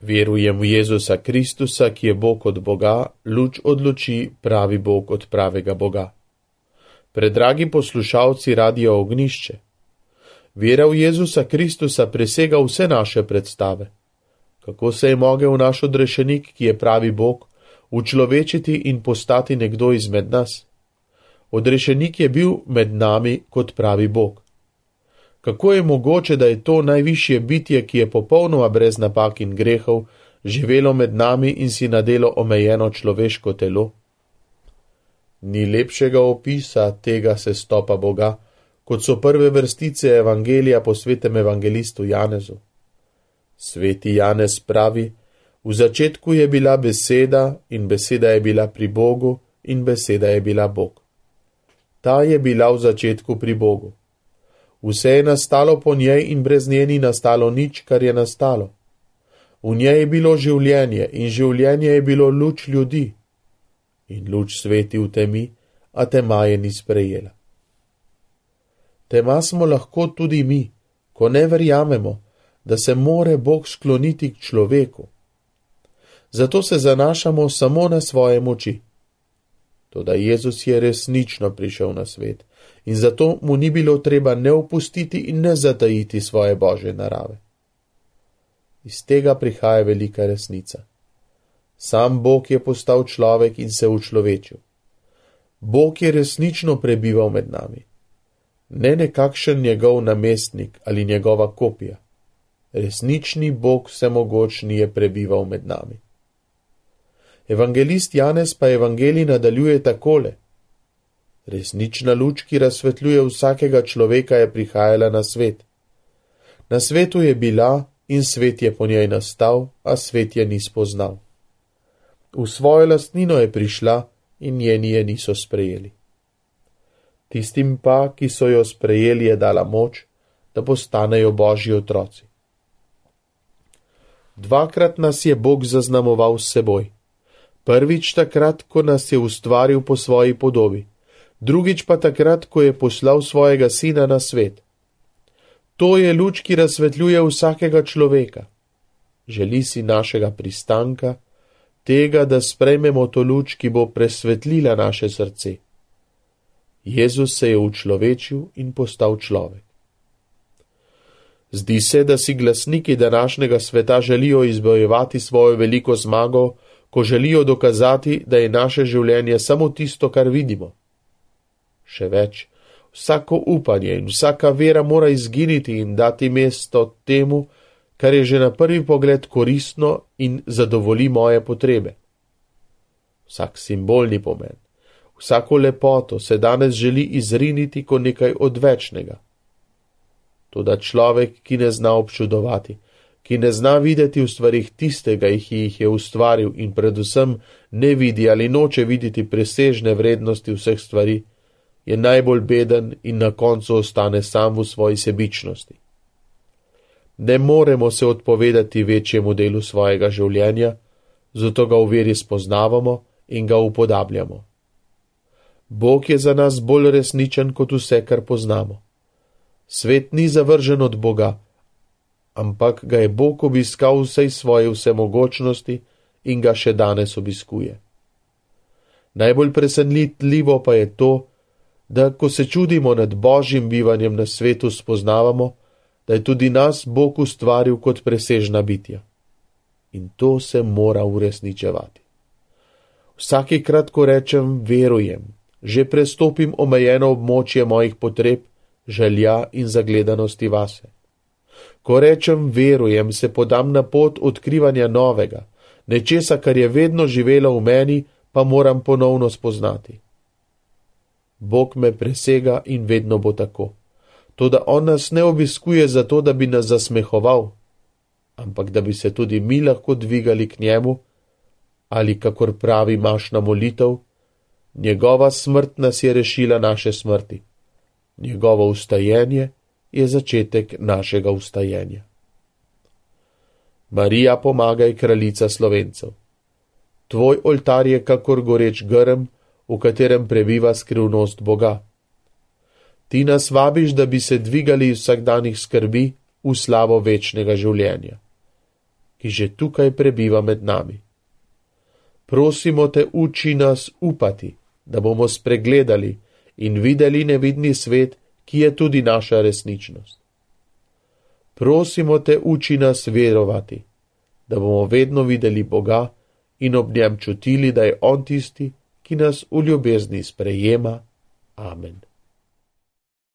Verujem v Jezusa Kristusa, ki je Bog od Boga, luč od luči, pravi Bog od pravega Boga. Predragi poslušalci Radia Ognjišče, vera v Jezusa Kristusa presega vse naše predstave. Kako se je mogel naš odrešenik, ki je pravi Bog, učlovečiti in postati nekdo izmed nas? Odrešenik je bil med nami kot pravi Bog. Kako je mogoče, da je to najvišje bitje, ki je popolnoma brez napak in grehov, živelo med nami in si nadelo omejeno človeško telo? Ni lepšega opisa tega sestopa Boga, kot so prve vrstice evangelija po svetem evangelistu Janezu. Sveti Janez pravi: v začetku je bila beseda in beseda je bila pri Bogu in beseda je bila Bog. Ta je bila v začetku pri Bogu. Vse je nastalo po njej in brez nje ni nastalo nič, kar je nastalo. V njej je bilo življenje in življenje je bilo luč ljudi. In luč sveti v temi, a tema je ni sprejela. Tema smo lahko tudi mi, ko ne verjamemo, da se more Bog skloniti k človeku. Zato se zanašamo samo na svoje moči. Toda Jezus je resnično prišel na svet in zato mu ni bilo treba ne opustiti in ne zatajiti svoje Božje narave. Iz tega prihaja velika resnica. Sam Bog je postal človek in se učlovečil. Bog je resnično prebival med nami. Ne nekakšen njegov namestnik ali njegova kopija. Resnični Bog vsemogočni je prebival med nami. Evangelist Janez pa evangelij nadaljuje takole: resnična luč, ki razsvetljuje vsakega človeka, je prihajala na svet. Na svetu je bila in svet je po njej nastal, a svet je ni spoznal. V svojo lastnino je prišla in njeni je niso sprejeli. Tistim pa, ki so jo sprejeli, je dala moč, da postanejo Božji otroci. Dvakrat nas je Bog zaznamoval s seboj. Prvič takrat, ko nas je ustvaril po svoji podobi, drugič pa takrat, ko je poslal svojega sina na svet. To je luč, ki razsvetljuje vsakega človeka. Želi si našega pristanka, tega, da sprejmemo to luč, ki bo presvetlila naše srce. Jezus se je učlovečil in postal človek. Zdi se, da si glasniki današnjega sveta želijo izbojevati svojo veliko zmago, ko želijo dokazati, da je naše življenje samo tisto, kar vidimo. Še več, vsako upanje in vsaka vera mora izginiti in dati mesto temu, kar je že na prvi pogled koristno in zadovolji moje potrebe. Vsak simbolni pomen, vsako lepoto se danes želi izriniti kot nekaj odvečnega. Toda človek, ki ne zna občudovati, ki ne zna videti v stvarih tistega, ki jih je ustvaril in predvsem ne vidi ali noče videti presežne vrednosti vseh stvari, je najbolj beden in na koncu ostane sam v svoji sebičnosti. Ne moremo se odpovedati večjemu delu svojega življenja, zato ga v veri spoznavamo in ga upodabljamo. Bog je za nas bolj resničen kot vse, kar poznamo. Svet ni zavržen od Boga, ampak ga je Bog obiskal vsej svoje vsemogočnosti in ga še danes obiskuje. Najbolj presenetljivo pa je to, da ko se čudimo nad Božjim bivanjem na svetu, spoznavamo, da je tudi nas Bog ustvaril kot presežna bitja. In to se mora uresničevati. Vsakikrat, ko rečem verujem, že prestopim omejeno območje mojih potreb, želja in zagledanosti vase. Ko rečem verujem, se podam na pot odkrivanja novega, nečesa, kar je vedno živelo v meni, pa moram ponovno spoznati. Bog me presega in vedno bo tako. Toda on nas ne obiskuje zato, da bi nas zasmehoval, ampak da bi se tudi mi lahko dvigali k njemu, ali kakor pravi mašna molitev, njegova smrt nas je rešila naše smrti. Njegovo vstajenje je začetek našega vstajenja. Marija, pomagaj, kraljica Slovencev. Tvoj oltar je kakor goreč grm, v katerem prebiva skrivnost Boga. Ti nas vabiš, da bi se dvigali iz vsakdanjih skrbi v slavo večnega življenja. ki že tukaj prebiva med nami. Prosimo te, uči nas upati, da bomo spregledali in videli nevidni svet, ki je tudi naša resničnost. Prosimo te, uči nas verovati, da bomo vedno videli Boga in ob njem čutili, da je On tisti, ki nas v ljubezni sprejema. Amen.